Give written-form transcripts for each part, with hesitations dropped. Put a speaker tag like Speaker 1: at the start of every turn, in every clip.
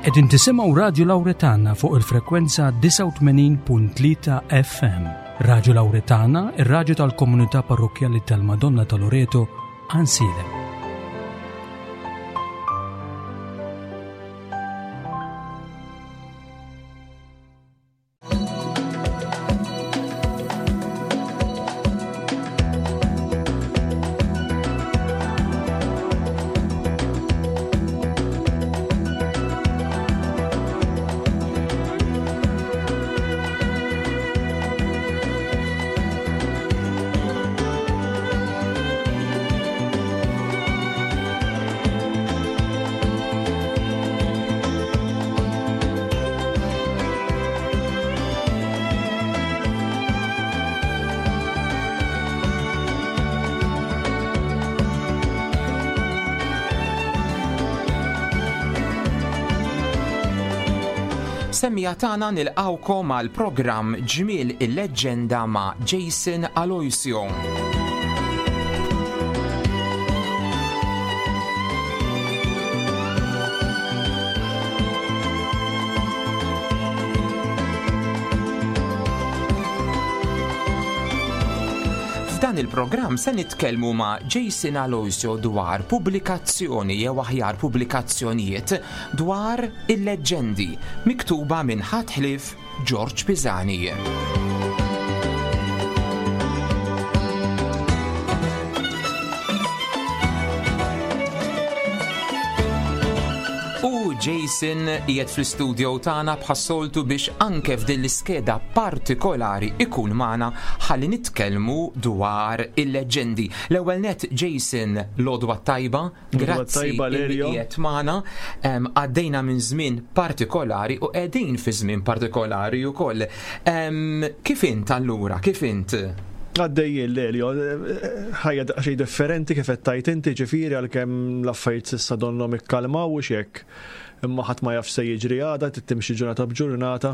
Speaker 1: Qegħdin tisimgħu Radju Lawretana fuq il-frekwenza 89.3 FM. Radju Lawretana, ir-radju tal-komunità parrokkjali tal-Madonna ta' Loreto, Ansilem.
Speaker 2: Semmija tagħna nilqawkom għal programm Ġmiel il-Leġġenda ma' Jason Aloisio. F'dan il-programm se nitkellmu ma' Jason Aloisio dwar pubblikazzjoni jew aħjar pubblikazzjonijiet dwar il-leġġendi miktuba minn ħadd ħlief Ġorġ Pisani. U Jason qiegħed fl-istudio tagħna bħas-soltu biex anke f'din l-iskeda partikolari ikun magħna ħalli nitkellmu dwar il-leġġendi. L-ewwel net Jason l-għodwa tajba Grazzi li qiegħed magħna. Għaddejna minn żmien partikolari u qegħdin fi żmien partikolari wkoll. Kif int allura? Kif int?
Speaker 3: Għaddejjin Lelio, ħajja daqsxejn differenti kif qed tgħid inti ġifieri għalkemm l-affarijiet s'issa donnhom ikkalmaw u x'hekk. Imma ħadd ma jaf se jiġri għada, trid timxi ġurnata b'ġurnata.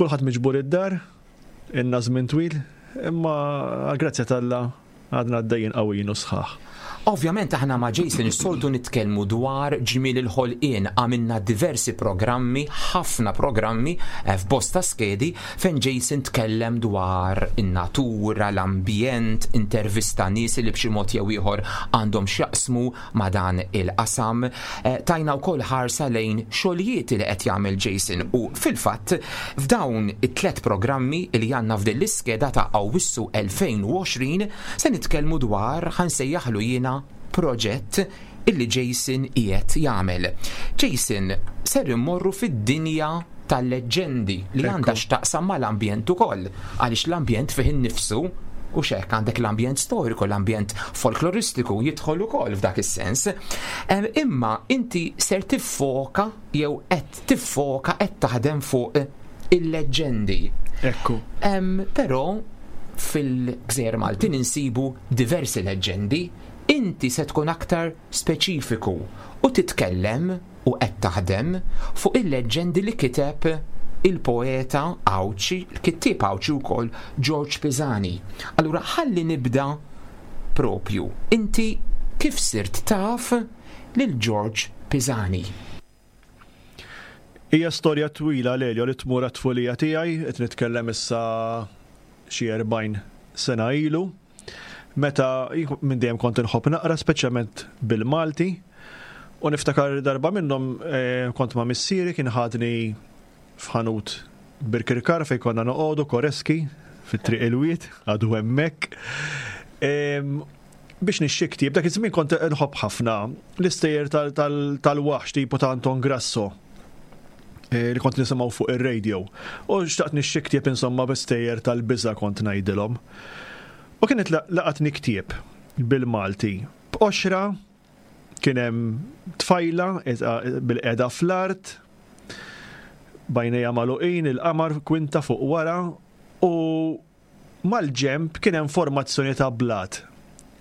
Speaker 3: Kulħadd miġbur id-dar, ilna żmien twil, imma għall-grazzja t'Alla Għadna għaddejjin qawwijin u sħaħ.
Speaker 2: Ovvjament aħna ma' Jason is-soltu nitkellmu dwar ġmiel il-ħolqien, għamilna diversi programmi, ħafna programmi eh, f'bosta skedi fejn Jason tkellem dwar in-natura, l-ambjent, intervista nies li b'xi mod jew ieħor għandhom x'jaqsmu ma' dan il-qasam. Eh, tajna wkoll ħarsa lejn xogħlijiet li qed jagħmel Jason u fil-fatt f'dawn it-tlet programmi li għandna f'din l-iskeda ta' Awwissu 2020 se nitkellmu dwar ħansejjaħlu jiena proġett illi Jason qiegħed jagħmel. Jason, ser immorru fid-dinja tal-leġġendi li għandha x'taqsam mal-ambjent ukoll, għaliex l-ambjent fih innifsu u xek għandek l-ambjent storiku, l-ambjent folkloristiku jidħol ukoll f'dak is-sens. Imma inti ser tiffoka jew qed tiffoka qed taħdem fuq il-leġġendi.
Speaker 3: Ekku.
Speaker 2: Però fil-Gżejjer Maltin insibu diversi leġġendi, inti se tkun aktar speċifiku u titkellem u qed taħdem fuq il-leġġendi li kiteb il-poeta Għawdxi, il-kittieb Għawdxi wkoll Ġorġ Pisani. Allura ħalli nibda propju. Inti kif sirt taf lil Ġorġ Pisani?
Speaker 3: Hija storja twila Lelio li tmur għat-tfulija tiegħi, qed nitkellem issa xi 40 sena ilu. Meta minn dejjem kont inħobb naqra, speċjalment bil-Malti, u niftakar darba minnhom eh, kont ma' missieri kien ħadni f'ħanut Birkirkar fejn konna noqogħdu Koreski fit-triq il-wied, għadu hemmhekk. Biex nixxi ktieb, dak iż-żmien kont nħobb ħafna l-istejjer tal-waħx tipo ta' Anton Grasso eh, li kont nisimgħu fuq ir-radio. U xtaqt nixxi ktieb insomma b'istejjer tal-biża' kont ngħidilhom. U kienet laqatni ktieb bil-Malti. B'qoxra kien hemm tfajla bil-qeda fl-art, bajnejha magħluqin, il-qamar kwinta fuq wara u mal-ġenb kien hemm formazzjoni ta' blat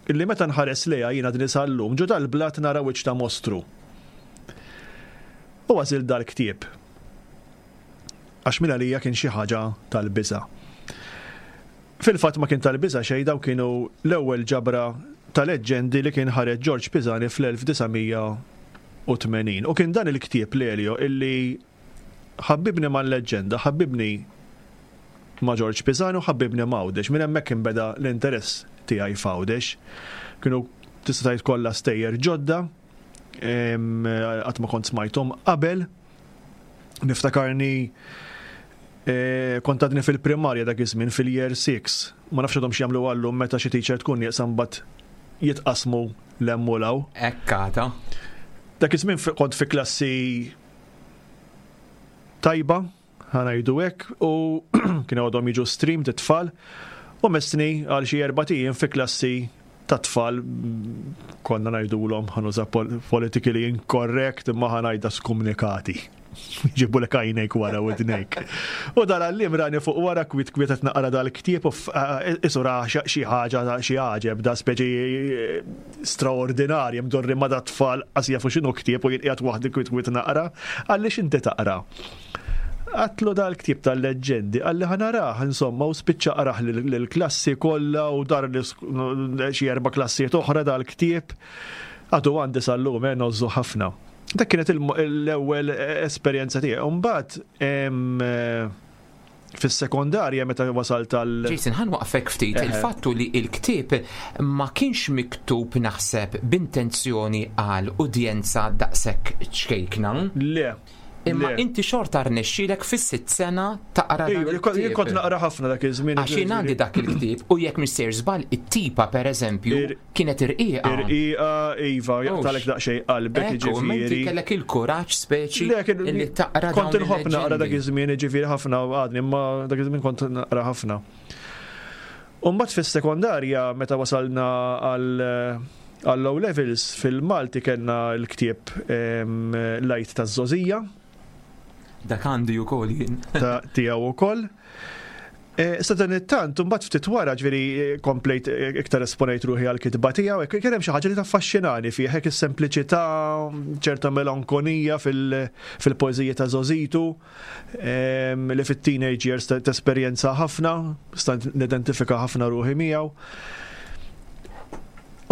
Speaker 3: illi meta nħares lejha jiena din sal-lum ġo dal-blat nara wiċċ ta' mostru. U għażilt dal-ktieb. Għax minn għalija kien xi ħaġa tal-biża'. Fil-fatt ma kien tal-biża' xejn dawn kienu l-ewwel ġabra ta' leġġendi li kien ħareġ Ġorġ Pisani fl-1900. 1980. U kien dan il-ktieb Lelio illi ħabbibni mal-leġġenda, ħabbibni ma' Ġorġ Pisani u ħabbibni ma' Għawdex. Minn hemmhekk inbeda l-interess tiegħi f'Għawdex. Kienu tista' tgħid kollha stejjer ġodda, qatt ma kont smajthom qabel. Niftakarni eh, kont għadni fil-primarja dak iż-żmien fil-year 6. Ma nafx għadhom x'jagħmlu għallum meta xi teacher tkun nieqsa mbagħad jitqasmu l-hemm u l
Speaker 2: Ekkata.
Speaker 3: Dak iż-żmien kont fi klassi tajba, ħanajdu hekk, u kienu għadhom jiġu stream t-tfal, u messni għal xi erbat ijiem fi klassi ta' tfal konna ngħidulhom ħa nuża politically incorrect imma ħa ngħidha skumnikati. Jġibu lek għajnejk wara widnejk. U dal-għallim rani fuq wara kwit kwiet qed naqra dal-ktieb u isu ra xi ħaġa xi għaġeb da speċi eh, straordinarja mdorri ma da tfal qas jafu x'inhu ktieb u jien qiegħed waħdi kwit kwiet naqra. Għaliex inti taqra? Għatlu dal-ktieb tal-leġġendi, qalli ħa narah, insomma, u spiċċa qrah lill-klassi kollha u dar xi erba' klassijiet oħra dal-ktieb. Għadu għandi sal-lum, eh, ngħożżu ħafna. Dak kienet l-ewwel esperjenza tiegħi. U mbagħad fis-sekondarja meta wasalt għal.
Speaker 2: Jason, ħa nwaqqfek ftit. Il-fattu li l-ktieb ma kienx miktub naħseb b'intenzjoni għal udjenza daqshekk ċkejkna.
Speaker 3: Le.
Speaker 2: Imma inti xorta rnexxielek fis-sitt sena taqra dan il-ktieb.
Speaker 3: Jien kont naqra ħafna dak iż-żmien.
Speaker 2: Għax jien għandi dak il-ktieb u jekk mhix sejr żball it-tipa pereżempju kienet irqiqa.
Speaker 3: Irqiqa, iva, jaqtalek daqsxejn qalbek
Speaker 2: jiġifieri. Inti kellek il-kuraġġ speċi li taqra.
Speaker 3: Kont inħobb naqra dak iż-żmien, jiġifieri ħafna għadni, imma dak iż-żmien kont naqra ħafna. U mbagħad fis-sekondarja meta wasalna għal għall-O levels fil-Malti kellna l-ktieb L-Għid taż-Żgħożija.
Speaker 2: Dak għandi wkoll jien.
Speaker 3: Ta' tiegħu wkoll. E, sa dan it-tant, mbagħad ftit wara ġifieri eh, komplejt eh, iktar esponejt ruħi għal kitba tiegħu, kien hemm xi ħaġa li taffaxxinani fih, hekk is-sempliċità, ċerta melankonija fil-poeżija ta' Zozitu, li fit-teenage years tesperjenza ħafna, stant nidentifika ħafna ruħi miegħu.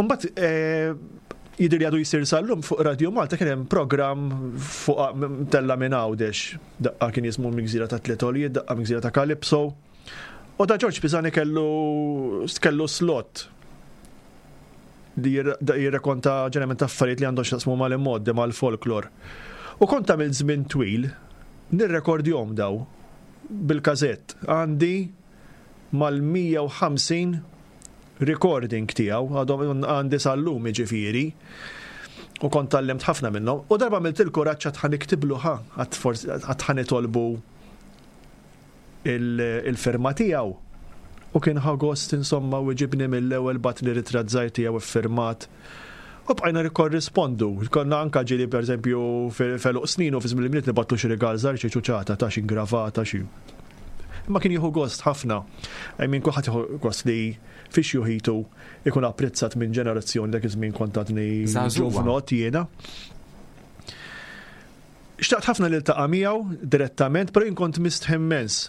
Speaker 3: Mbagħad eh, jidher li għadu jsir sal-lum fuq Radio Malta kien hemm programm fuq tella minn Għawdex. Daqqa kien jismu Migżira ta' Tliet Għoljiet, daqqa Migżira ta' Calypso. U da Ġorġ Pisani kellu kellu slot li jirrekonta ġeneralment affarijiet li għandhom x'jaqsmu mal-immoddi mal-folklor. U kont għamilt żmien twil nirrekordjhom daw bil-kazett. Għandi mal-150 recording tiegħu, għadhom għandi sal-lum jiġifieri. U kont tgħallimt ħafna minnhom. U darba għamilt il-kuraġġ għad ħa niktiblu ħa, għad forsi għad ħa nitolbu il-firma tiegħu. U kien ħa gost insomma u ġibni mill-ewwel bagħatli ritratt żgħir tiegħu iffirmat. U bqajna nikkorrispondu. Konna anka ġieli pereżempju f'għeluq snin u fi żmien il-Milied nibgħatlu xi rigal żgħir, xi ċuċata ta' xi ingravata xi. Imma kien jieħu gost ħafna. I mean kulħadd jieħu gost li fi xjuħitu ikun apprezzat minn ġenerazzjoni dak iż-żmien kont għadni ġuvnot jiena. Xtaqt ħafna li ltaqa' miegħu direttament, però jien kont mistħi immens.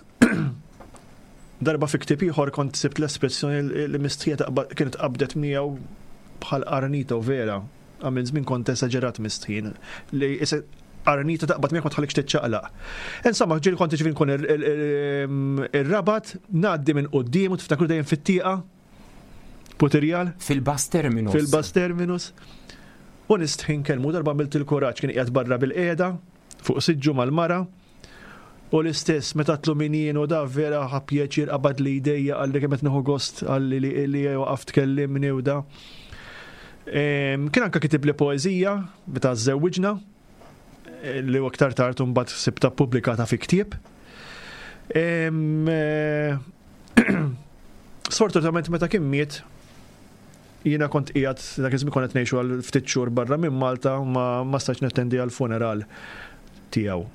Speaker 3: Darba fi ktieb ieħor kont sibt l-espressjoni li mistħija kienet qabdet miegħu bħal qarnita u vera. Għamil żmien kont esaġerat mistħin li qarnita taqbad miegħek ma tħallikx tiċċaqlaq. Insomma, ġieli kont ġifieri nkun ir-rabat ngħaddi minn quddiem u tiftakru dejjem fit-tieqa Putirjal?
Speaker 2: Fil-bus terminus.
Speaker 3: Fil-bus terminus. U nistħi nkellmu darba għamilt il-kuraġġ kien qiegħed barra bil-qiegħda fuq siġġu mal-mara. U l-istess meta tlu min jien u da vera ħa pjaċir qabad li jdejja qalli kemm qed nieħu gost qalli li li waqaf tkellimni u da. Kien anka kitib li poeżija meta żewwiġna eh, li u aktar tard mbagħad sibta pubblikata fi ktieb. Eh, sfortunatament meta kien miet Jiena kont qiegħed dak iż-żmien konna qed ngħixu għal ftit xhur barra minn Malta u ma ma stajtx nattendi għall-funeral tiegħu.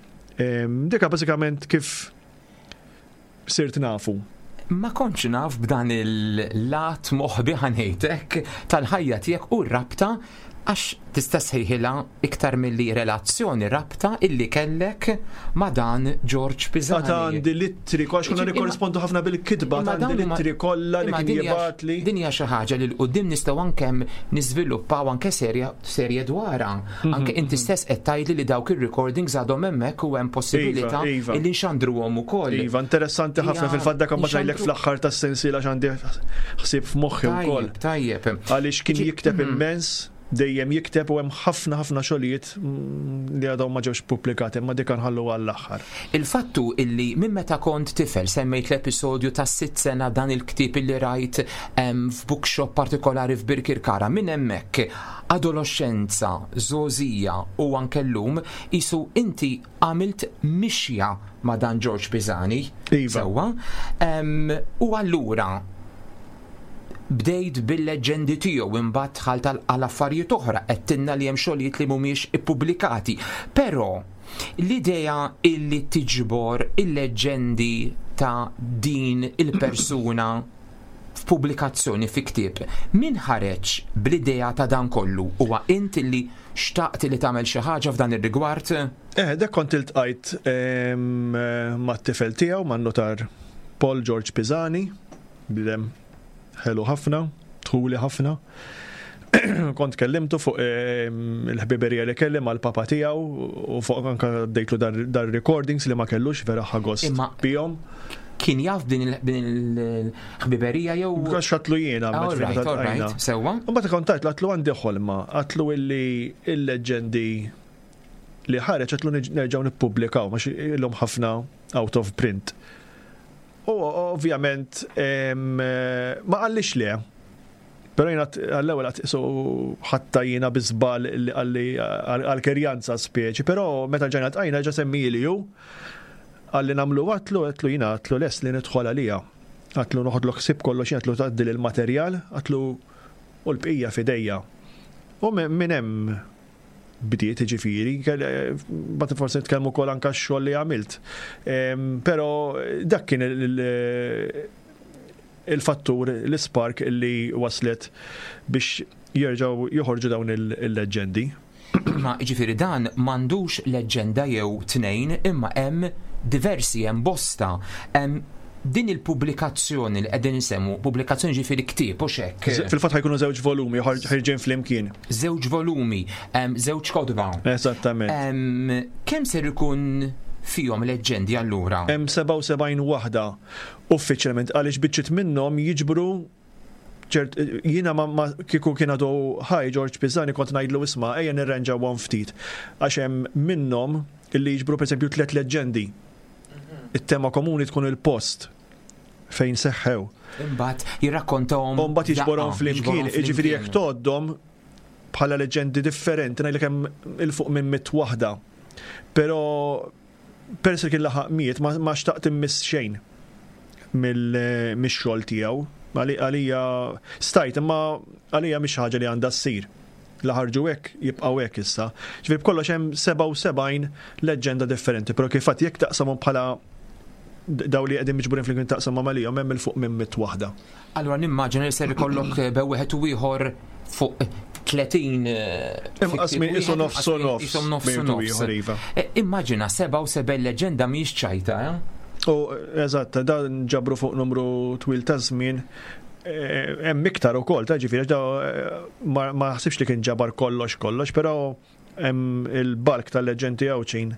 Speaker 3: Dika bażikament kif sirt nafu.
Speaker 2: Ma kontx naf b'dan il-lat moħbi ħa ngħid hekk tal-ħajja tiegħek u r-rabta Għax tista' ssejħilha iktar milli relazzjoni, rabta illi kellek ma' dan George Pisani.
Speaker 3: Għad għandi l-ittri, għax konna nikkorrispondu ħafna bil-kitba, għad għandi l-ittri kollha li kien jibgħatli.
Speaker 2: Din hija xi ħaġa li 'l quddiem nistgħu anke niżviluppaw anke serja serje dwarha. Mhm, anke inti mhm. stess qed tgħidli li dawk ir-recordings għadhom hemmhekk u hemm possibilità iva, iva. illi nxandruhom ukoll.
Speaker 3: Iva, interessanti ħafna fil-fatt dak ma ngħidlek fl-aħħar tas-sensiela x'għandi ħsieb f'moħħi wkoll.
Speaker 2: Tajjeb.
Speaker 3: Għaliex kien jikteb mhm. immens dejjem jikteb u hemm ħafna ħafna xogħlijiet mm, li għadhom ma ġewx pubblikati, imma dik nħallu għall-aħħar.
Speaker 2: Il-fattu illi minn meta kont tifel semmejt l-episodju ta' sitt sena dan il-ktieb illi rajt f'bookshop partikolari f'Birkirkara minn hemmhekk adoloxxenza, żgħożija u anke llum qisu inti għamilt mixja ma' dan George Pisani.
Speaker 3: Iva.
Speaker 2: Sewwa. U allura bdejt bil-leġġendi tiegħu imbagħad dħalt għal affarijiet oħra, għedtilna li hemm xogħlijiet li mhumiex ippubblikati. Però l-idea illi tiġbor il-leġġendi ta' din il-persuna f'pubblikazzjoni fi ktieb, min ħareġ bl-idea ta' dan kollu? Huwa int illi xtaqt li tagħmel xi ħaġa f'dan ir-rigward?
Speaker 3: Eh, dak kont iltqajt mat-tifel tiegħu, man-nutar Paul George Pisani, Bniedem ħelu ħafna, dħuli ħafna. Kont kellimtu fuq ehm, il-ħbiberija li kelli mal-papa tiegħu u fuq anke għaddejtlu dar recordings li ma kellux vera ħagost bihom.
Speaker 2: Kien jaf din il-ħbiberija jew.
Speaker 3: Għax għatlu jiena.
Speaker 2: Alright, sewwa.
Speaker 3: U mbagħad kont għatlu għatlu għandi ħolma, għatlu illi il-leġendi li ħareġ għatlu nerġgħu nippubblikaw, ma illum ħafna out of print. U ovvjament ma qallix le. Però jiena għall-ewwel qatt qisu ħatta jiena bi żball li qalli għall-kerjanza speċi, però meta ġejna ltqajna ġa semmieli hu. Qalli nagħmlu għatlu, għedtlu jiena għatlu lest li nidħol għaliha. Għatlu noħodlok ħsieb kollox jien għatlu tgħaddili l-materjal, għatlu u l-bqija f'idejja. U minn hemm bdiet jiġifieri, mbagħad forsi nitkellmu wkoll anke x-xogħol li għamilt. Però dak kien il-fattur, l-ispark li waslet biex jerġgħu joħorġu dawn il-leġġendi.
Speaker 2: Imma jiġifieri dan m'għandux leġġenda jew tnejn imma hemm diversi, hemm bosta. Din il-pubblikazzjoni li qegħdin insemmu, pubblikazzjoni ġifieri ktieb hux hekk?
Speaker 3: Fil-fatt ħajkunu żewġ volumi ħirġin flimkien.
Speaker 2: Żewġ volumi, żewġ kotba.
Speaker 3: Eżattament.
Speaker 2: Kemm ser ikun fihom leġġendi allura?
Speaker 3: Hemm 77 waħda uffiċjalment għaliex biċċiet minnhom jiġbru ċert jiena ma kieku kien għadu ħaj George Pisani kont ngħidlu isma' ejja nirranġawhom ftit għax hemm minnhom illi jiġbru pereżempju tliet leġġendi. It-tema komuni tkun il-post fejn seħħew.
Speaker 2: Imbagħad jirrakkontahom.
Speaker 3: U mbagħad jiġborhom flimkien, jiġifieri jekk tgħoddhom bħala leġġendi differenti ngħidlek hemm 'il fuq minn mitt waħda. Però peress li kien laħaq miet ma xtaqt immiss xejn mix-xogħol tiegħu. Għalija stajt imma għalija mhix ħaġa li għandha ssir. La ħarġu hekk, jibqgħu hekk issa. Ġifieri b'kollox hemm 77 leġġenda differenti, però kif għedt jekk taqsamhom bħala daw li qegħdin miġburin flimkien taqsamhom għalihom hemm 'il fuq minn mitt waħda.
Speaker 2: Allura nimmaġina li ser ikollok bew wieħed u ieħor fuq 30
Speaker 3: Inqas minn qisu nofs u nofs.
Speaker 2: Qisu nofs u nofs.
Speaker 3: Iva.
Speaker 2: Immaġina 77 leġġenda mhijiex ċajta, eh?
Speaker 3: U eżatt, dan ġabru fuq numru twil ta' żmien Hemm iktar ukoll, ta' ġifieri ma naħsibx li kien ġabar kollox kollox, però hemm il-bulk tal-leġġendi Għawdxin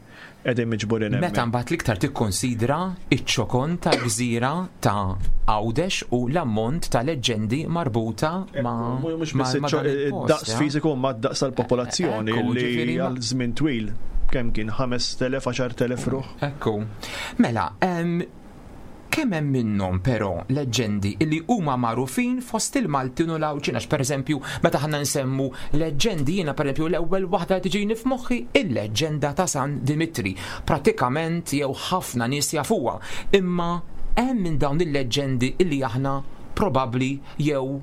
Speaker 3: qegħdin miġburin
Speaker 2: hemm. Meta mbagħad l-iktar tikkonsidra ċ-ċokon tal-gżira ta' Għawdex u l-ammont ta' leġġendi marbuta ma'
Speaker 3: Mhux biss id-daqs fiżiku imma d-daqs tal-popolazzjoni li għal żmien twil kemm kien 5,000, 10,000 ruħ.
Speaker 2: Ekku. Mela, Kemm hemm minnhom però leġġendi li huma magħrufin fost il-Maltin u l-Għawdxin għax pereżempju meta aħna nsemmu leġġendi jiena pereżempju l-ewwel waħda li tiġini f'moħħi il-leġġenda ta' San Dimitri. Prattikament jew ħafna nies jafuha. Imma hemm minn dawn il-leġġendi li aħna probabbli jew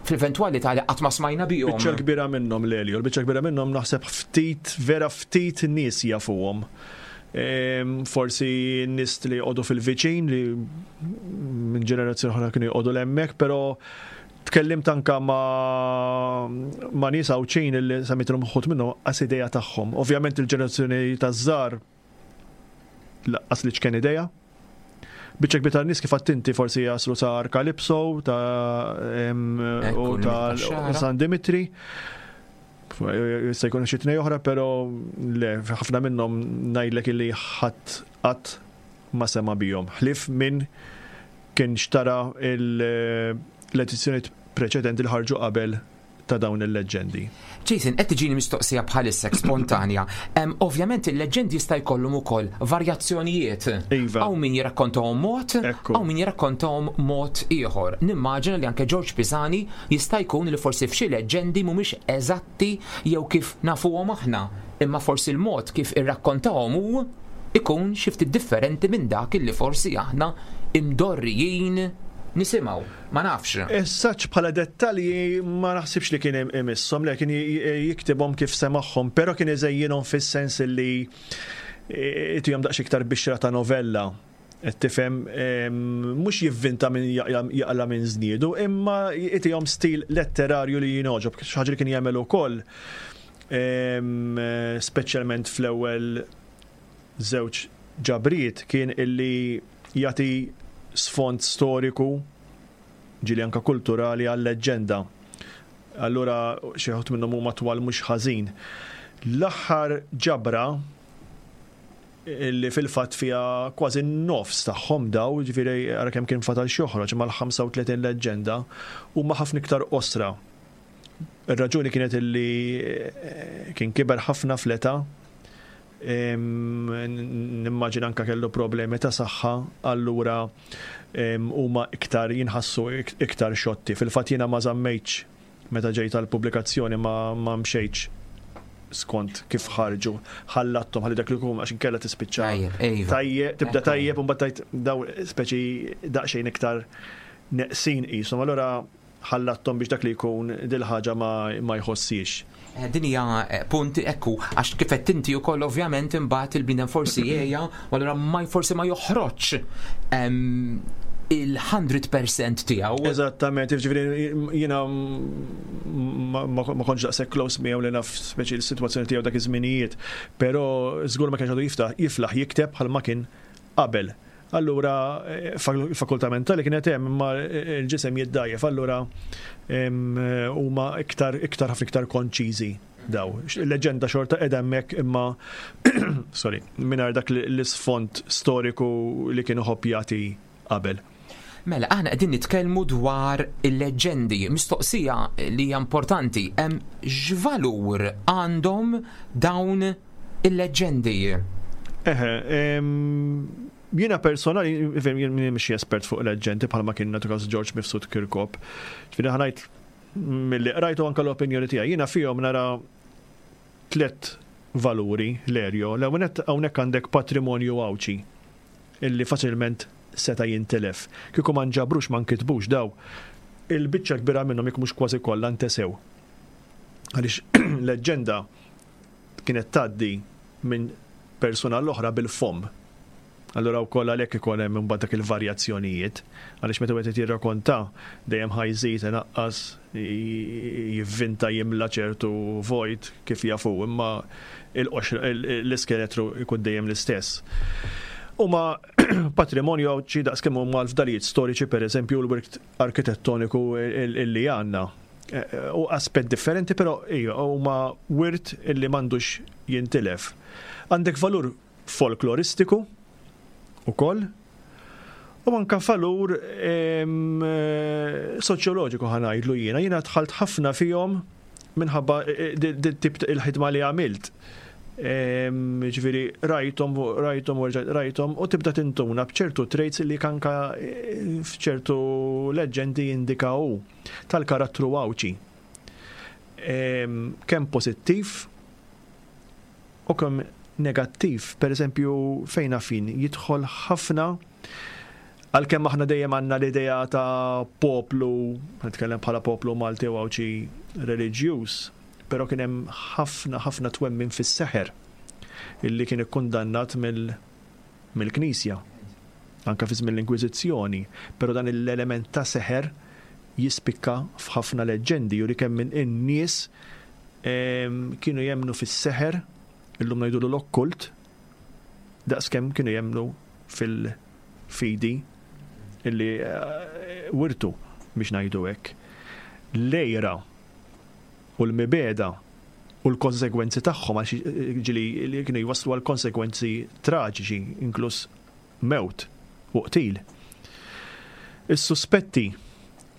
Speaker 2: fl-eventwalità li qatt ma smajna bihom.
Speaker 3: Biċċa l-kbira minnhom Lelio, l-biċċa l-kbira minnhom naħseb ftit, vera ftit nies jafuhom. Forsi n-nies li joqogħdu fil-viċin li minn ġenerazzjoni oħra kienu joqogħdu l-hemmhekk, però Tkellimt anka ma' ma' nies Għawdxin illi semmejtilhom uħud minnhom qas idea tagħhom. Ovvjament il-ġenerazzjoni taż-żgħar laqqas li ċken idea. Biċċa kbira tan-nies kif għedt inti forsi jaslu sa Calypso ta' u ta' San Dimitri. Jista' jkun xi tnej oħra, però le, ħafna minnhom ngħidlek illi ħadd qatt ma sema' bihom. Ħlief min kien xtara l-edizzjonijiet preċedenti li ħarġu qabel ta' dawn il-leġġendi.
Speaker 2: Jason, qed tiġini mistoqsija bħalissa spontanja. Ovvjament il-leġġendi jista' jkollhom ukoll varjazzjonijiet.
Speaker 3: Iva.
Speaker 2: Hawn min jirrakkontahom mod, hawn min jirrakkontahom mod ieħor. Nimmaġina li anke Ġorġ Pisani jista' jkun li forsi f'xi leġġendi mhumiex eżatti jew kif nafuhom aħna, imma forsi l-mod kif irrakkontahom hu ikun xi ftit differenti minn dak illi forsi aħna imdorrijin nisimgħu. Ma nafx.
Speaker 3: As such bħala dettalji ma naħsibx li kien imisshom, le kien jiktibhom kif semagħhom, però kien iżejjinhom fis-sens li itihom daqs iktar bixra ta' novella. Qed tifhem mhux jivvinta minn jaqla minn żniedu, imma itihom stil letterarju li jingħoġob, xi ħaġa li kien jagħmel ukoll speċjalment fl-ewwel żewġ ġabriet kien illi jagħti sfond storiku ġieli anka kulturali għal-leġġenda. Allura xi wħud minnhom huma twal mhux ħażin. L-aħħar ġabra illi fil-fatt fiha kważi n-nofs tagħhom daw, ġifieri ara kemm kien fatal x'joħroġ mal-35 leġġenda, huma ħafna iktar qosra. Ir-raġuni kienet illi kien kiber ħafna fl-età, nimmaġina anka kellu problemi ta' saħħa, allura huma iktar jinħassu iktar xotti. Fil-fatt jiena ma żammejtx meta ġejt għall-pubblikazzjoni ma mxejtx skont kif ħarġu, ħallatthom ħalli dak li jkun għax inkella tispiċċa. Tajjeb, tibda tajjeb u mbagħad tgħid daw speċi daqsxejn iktar neqsin qishom. Allura ħallatthom biex dak li jkun dil-ħaġa ma jħossiex.
Speaker 2: Din hija punt ekku, għax kif qed inti wkoll ovvjament imbagħad il-bniedem forsi jgħejja u allura ma forsi ma joħroġx il-100% tiegħu.
Speaker 3: Eżattament, jiġifieri jiena ma kontx daqshekk close miegħu li naf speċi l-sitwazzjoni tiegħu dak iż-żminijiet, però żgur ma kienx għadu jiftaħ jiflaħ jikteb bħalma kien qabel. Allura il-fakultà mentali kienet hemm imma l-ġisem jiddgħajjef, allura huma iktar iktar ħafna iktar konċiżi daw. Il-leġenda xorta qiegħda hemmhekk imma sorry, mingħajr dak l-isfond storiku li kien iħobb jagħti qabel.
Speaker 2: Mela, aħna qegħdin nitkellmu dwar il-leġġendi. Mistoqsija li hija importanti, hemm x'valur għandhom dawn il-leġġendi?
Speaker 3: Eħe, jiena personali, jien mhix espert fuq leġġendi bħalma kien nagħtu każ George Mifsud Kirkop. Ġifieri ħa ngħid milli qrajtu anke l-opinjoni tiegħi. Jiena fihom nara tliet valuri l-erjo. L-ewwel nett hawnhekk għandek patrimonju Għawdxi illi faċilment seta' jintilef. Kieku ma nġabrux ma nkitbux daw, il-biċċa kbira minnhom jekk mhux kważi kollha ntesew. Għaliex leġġenda kienet tgħaddi minn persuna l-oħra bil-fomm. Allura wkoll għalhekk ikun hemm imbagħad dak il-varjazzjonijiet, għaliex meta wieħed qed jirrakonta dejjem ħa jżid, inaqqas, jivvinta jimla ċertu vojt kif jaf hu, imma il-qoxra l-iskeletru jkun dejjem l-istess. Huma patrimonju Għawdxi daqskemm huma l-fdalijiet storiċi pereżempju u l-wirt arkitettoniku illi għandna. U aspett differenti però ija huma wirt illi m'għandux jintilef. Għandek valur folkloristiku ukoll u anka valur soċjoloġiku ħa ngħidlu jiena. Jiena dħalt ħafna fihom minħabba tip il-ħidma li għamilt. Ġifieri rajthom, rajthom u rġajt rajthom u tibda tintuna b'ċertu traits li anka f'ċertu leġġendi jindika hu tal-karattru Għawdxi. Kemm pożittiv u kemm negattiv, per eżempju fejn naf jien jidħol ħafna għalkemm aħna dejjem għandna l-idea ta' poplu, nitkellem bħala poplu Malti u Għawdxi reliġjuż, però kien hemm ħafna ħafna twemmin fis-seħer illi kien ikkundannat mill-Knisja anke fi żmien l-Inkwiżizzjoni, però dan l-element ta' seħer jispikka f'ħafna leġġendi, juri kemm in-nies kienu jemmnu fis-seħer, illum ngħidulu l-okkult, daqskemm kienu jemmnu fil-fidi illi eh, wirtu biex ngħidu hekk. L-għira u l-mibegħda u l-konsegwenzi tagħhom għax eh, ġieli li kienu jwasslu għal konsegwenzi traġiċi, inkluż mewt u qtil. Is-suspetti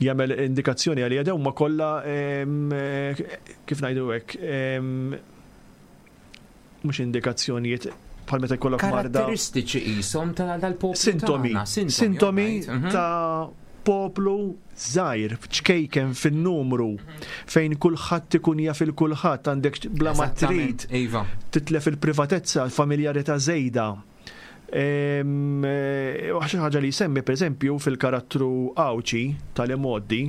Speaker 3: jagħmel indikazzjoni għalija dawn ma kollha eh, kif ngħidu hekk mhux indikazzjonijiet bħal meta jkollok
Speaker 2: marda. Karatteristiċi qishom tal-poplu.
Speaker 3: Sintomi. Sintomi mhm. ta' poplu żgħir, ċkejken fin-numru, fejn kulħadd ikun jaf il kulħadd għandek bla ma trid.
Speaker 2: Iva.
Speaker 3: Titlef il-privatezza, familjarità żejda. Eh, xi ħaġa li jsemmi pereżempju fil-karattru Għawdxi tal-imgħoddi,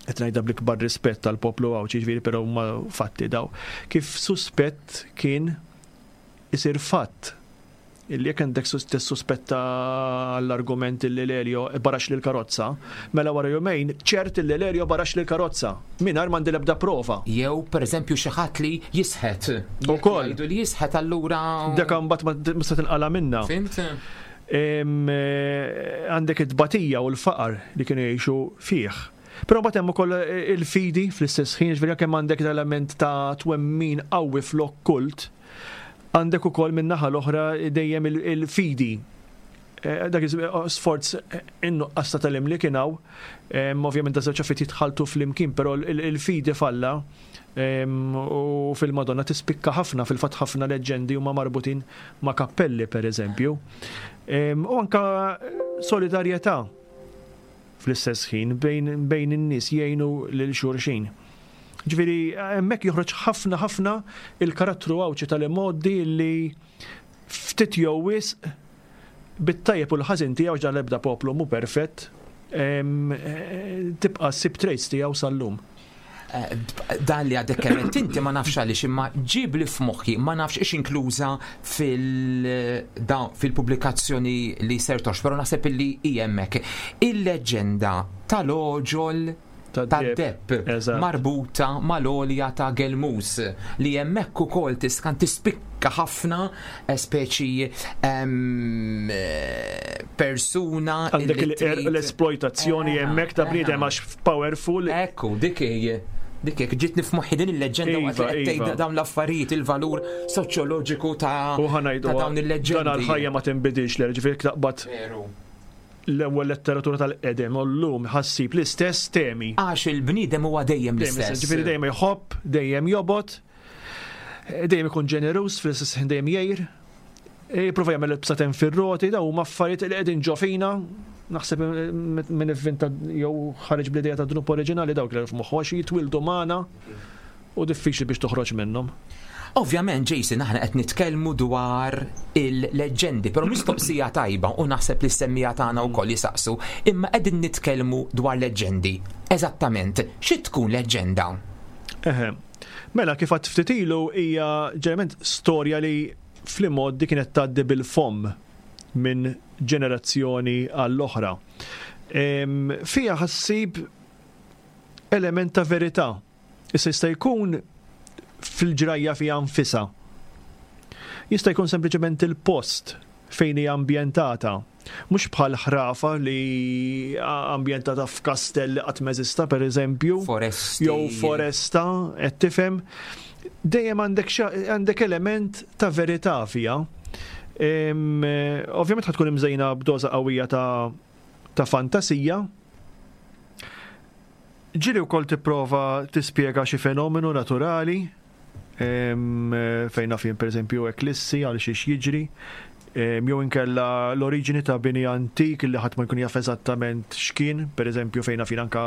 Speaker 3: qed ngħidha bl-ikbar rispett tal-poplu Għawdxi, ġifieri però huma fatti daw, kif suspett kien isir fatt illi jekk għandek tissuspetta l-argument illi Lelio barax lil karozza, mela wara jumejn ċert illi Lelio barax lil karozza mingħajr m'għandi l-ebda prova.
Speaker 2: Jew pereżempju xi ħadd li jisħet.
Speaker 3: Ukoll.
Speaker 2: Jgħidu li jisħet allura.
Speaker 3: Dak imbagħad ma tista' tinqala' minnha.
Speaker 2: Fhimt?
Speaker 3: Eh, għandek it-tbatija u l-faqar li kienu jgħixu fih. Però mbagħad hemm ukoll eh, il-fidi fl-istess ħin, ġifieri kemm għandek l-element ta' twemmin qawwi fl-okkult, għandek ukoll min-naħa l-oħra dejjem il-fidi. Eh, dak sforz in-nuqqas ta' tagħlim li kien hawn, ovvjament da żewġ affarijiet jitħalltu flimkien, però il-fidi falla u fil-Madonna tispikka ħafna, fil-fatt ħafna leġġendi huma marbutin ma' kappelli pereżempju. U anka solidarjetà fl-istess ħin bejn in-nies jgħinu lil xulxin. Ġifieri hemmhekk joħroġ ħafna ħafna il-karattru Għawdxi tal-imgħoddi li ftit jew wisq bit-tajjeb u l-ħażin tiegħu għax dan l-ebda poplu mhu perfett, tibqa' ssib traits tiegħu sal-lum.
Speaker 2: Eh, dan li għadek kemm inti ma nafx għaliex imma ġib li f'moħħi ma nafx ix inkluża fil-pubblikazzjoni li ser tox, però naħseb illi hi hemmhekk. Il-leġġenda tal-oġol tad-depp marbuta mal-għolja ta' Gelmus li hemmhekk ukoll tiskan tispikka ħafna eh, speċi ehm, eh, persuna
Speaker 3: għandek l-esploitazzjoni eh, hemmhekk ta' bniedem għax powerful.
Speaker 2: Ekku, dik hi dik hekk ġietni f'moħħi din il-leġġenda waqt li qed tgħid dawn l-affarijiet il-valur soċjoloġiku ta' dawn il-leġġendi.
Speaker 3: Dan ħajja ma tinbidilx l ġifieri taqbad l-ewwel letteratura tal-qedem u llum ħa ssib l-istess temi.
Speaker 2: Għax il-bniedem huwa dejjem l-istess.
Speaker 3: Ġifieri dejjem jħobb, dejjem jobgħod, dejjem ikun ġeneruż, fl-istess ħin dejjem jgħir, jipprova jagħmel il-bsaten fir-roti, dawn huma affarijiet li qegħdin ġo fina, naħseb min ivvinta jew ħareġ bl-idea ta' dnub oriġinali dawk li f'moħħu għax jitwildu magħna u diffiċli biex toħroġ minnhom.
Speaker 2: Ovvjament, Jason, aħna qed nitkellmu dwar il-leġġendi, però mistoqsija tajba u naħseb li s-semmija tagħna wkoll jisaqsu, imma qegħdin nitkellmu dwar leġġendi. Eżattament, xi tkun leġġenda?
Speaker 3: Eħe. Mela kif għadt ftit ilu hija ġeneralment storja li fl-imgħoddi kienet tgħaddi bil-fomm minn ġenerazzjoni għall-oħra. Fiha ħassib element ta' verità. Issa jista' jkun fil-ġrajja fiha nfisha. Jista' jkun sempliċement il-post fejn hija ambjentata. Mhux bħal ħrafa li ambjentata f'kastell li qatt m'eżista pereżempju.
Speaker 2: Foresti.
Speaker 3: Jew foresta, qed tifhem. Dejjem għandek għandek element ta' verità fiha. Ovvjament ħa tkun imżejna b'doża qawwija ta' ta' fantasija. Ġieli wkoll tipprova tispjega xi fenomenu naturali, fejn naf jien pereżempju eklissi għal xiex jiġri, jew inkella l-oriġini ta' bini antik li ħadd ma jkun jaf eżattament x'kien, pereżempju fejn naf jien anke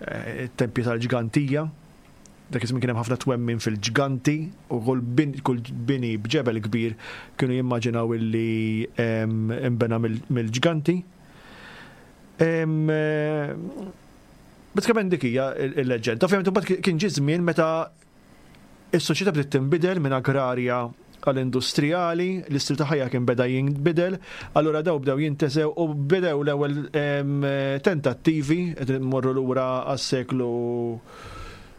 Speaker 3: t-tempji tal-Ġgantija. Dak iż-żmien kien hemm ħafna twemmin fil-ġganti u kull bini b'ġebel kbir kienu jimmaġinaw illi nbena mill-ġganti. Bażikament dik hija l-leġġenda. Ovvjament imbagħad kien ġie żmien meta s-soċjetà bdiet tinbidel minn agrarja għal industrijali, l-istil ta' ħajja kien beda jinbidel, allura daw bdew jintesew u bdew l-ewwel tentattivi qed immorru lura għas-seklu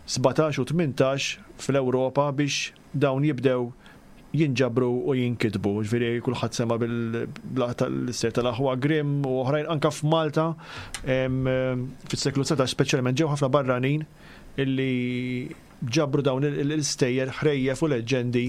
Speaker 3: 17 u 18 fl-Ewropa biex dawn jibdew jinġabru u jinkitbu. Ġifieri kulħadd sema' bil-istejjer tal-aħwa Grimm u oħrajn anke f'Malta fis-seklu 19 speċjalment ġew ħafna barranin illi ġabru dawn l-istejjer ħrejjef u leġġendi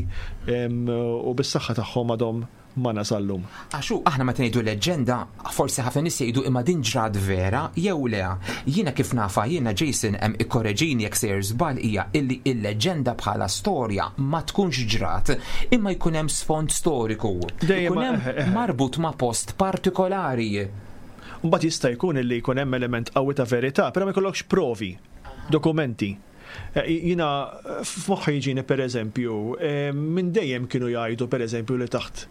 Speaker 3: u bis-saħħa tagħhom għadhom magħna sal-lum.
Speaker 2: Għax hu aħna meta ngħidu leġġenda, forsi ħafna nies jgħidu imma din ġrat vera jew le. Jiena kif nafha jiena Jason hemm ikkoreġini jekk sejjer żball hija illi il-leġġenda bħala storja ma tkunx ġrat imma jkun hemm sfond storiku. Ikun hemm marbut ma' post partikolari.
Speaker 3: Mbagħad jista' jkun illi jkun hemm element qawwi ta' verità, però ma jkollokx provi, dokumenti. Eh, jina f'moħħi jiġini per eżempju, eh, minn dejjem kienu jgħidu per eżempju li taħt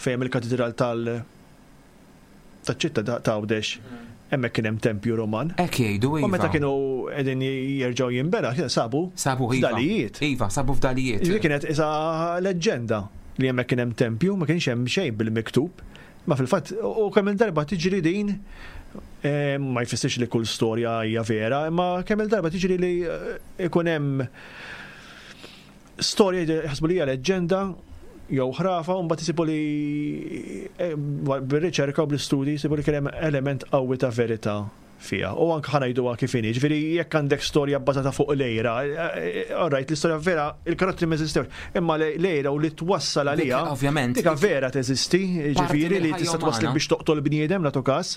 Speaker 3: fejn il-katedral tal taċ-ċitta ta' Għawdex hemmhekk kien hemm tempju Roman.
Speaker 2: Hekk jgħidu
Speaker 3: iva. U meta kienu qegħdin jerġgħu jinbena, sabu
Speaker 2: sabu iva.
Speaker 3: fdalijiet.
Speaker 2: Iva, sabu fdalijiet.
Speaker 3: Ġifieri kienet isa leġġenda li hemmhekk kien hemm tempju, ma kienx hemm xejn bil-miktub. Ma fil-fatt, u kemm il-darba tiġri din, eh, ma jfissirx li kull storja hija vera, imma kemm il-darba tiġri li eh, ikun hemm storja jaħsbu li hija leġġenda jew ħrafa u mbagħad isibu li eh, bir-riċerka u bl-istudji jsibu li kien hemm element qawwi ta' verità fiha. U anke ħa ngħiduha kif inhi, ġifieri jekk għandek storja bbażata fuq l-għira, all right, l-istorja vera, il-karattri ma eżistewx, imma l-għira u li twassal għaliha.
Speaker 2: Ovvjament.
Speaker 3: Dika vera teżisti, ġifieri li tista' twassal biex toqtol bniedem nagħtu każ.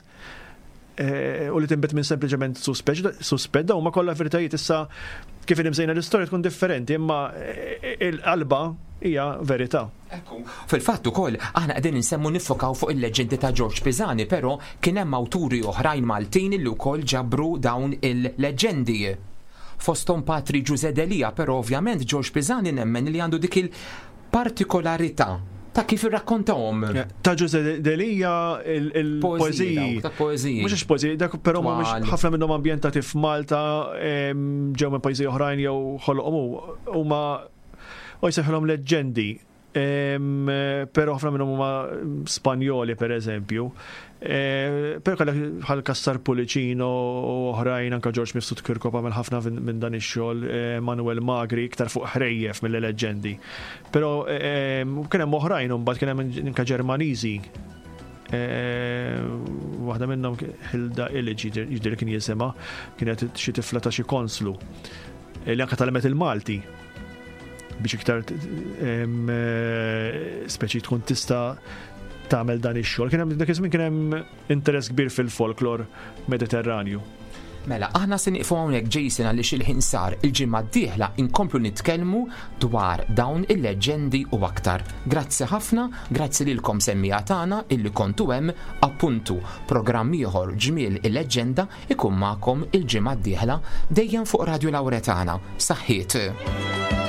Speaker 3: Eh, u li tinbet minn sempliċement suspett, dawn ma kollha veritajiet issa kif inimżejna l-istorja tkun differenti, imma eh, il-qalba hija verità.
Speaker 2: Ekku. Fil-fatt ukoll, aħna qegħdin insemmu niffokaw fuq il-leġġendi ta' Ġorġ Pisani, però kien hemm awturi oħrajn Maltin li wkoll ġabru dawn il-leġġendi. Fosthom Patri Ġużè Delia, però ovvjament Ġorġ Pisani nemmen li għandu dik il-partikolarità ta' kif irrakkontahom.
Speaker 3: Ta' Ġużè Delia il-poeżiji.
Speaker 2: Ta' poeżiji.
Speaker 3: Mhux għax poeżiji, dak però mhumiex ħafna minnhom ambjentati f'Malta, ġew minn pajjiżi oħrajn jew ħoloqhom huma U jsejħulhom leġġendi. Però ħafna minnhom huma Spanjoli pereżempju. Però kellek bħal Kassar Pulicino u oħrajn anke Ġorġ Mifsud Kirkop għamel ħafna minn dan ix-xogħol, Manuel Magri iktar fuq ħrejjef milli leġġendi. Però kien hemm oħrajn imbagħad kien hemm anke Ġermaniżi. Waħda minnhom Hilda Illich jidher kien jisimha, kienet xi tifla ta' xi konslu li anke tgħallmet il-Malti. biex iktar speċi tkun tista' tagħmel dan ix-xogħol. Kien hemm dak iż-żmien kien hemm interess kbir fil-folklor Mediterranju.
Speaker 2: Mela, aħna se nieqfu hawnhekk Jason għaliex il-ħin sar il-ġimgħa d-dieħla inkomplu nitkellmu dwar dawn il-leġġendi u aktar. Grazzi ħafna, grazzi lilkom semmiegħa tagħna illi kontu hemm appuntu programm ieħor ġmiel il-leġġenda Ikun magħkom il-ġimgħa d-dieħla dejjem fuq Radju Lauretana. Saħħiet!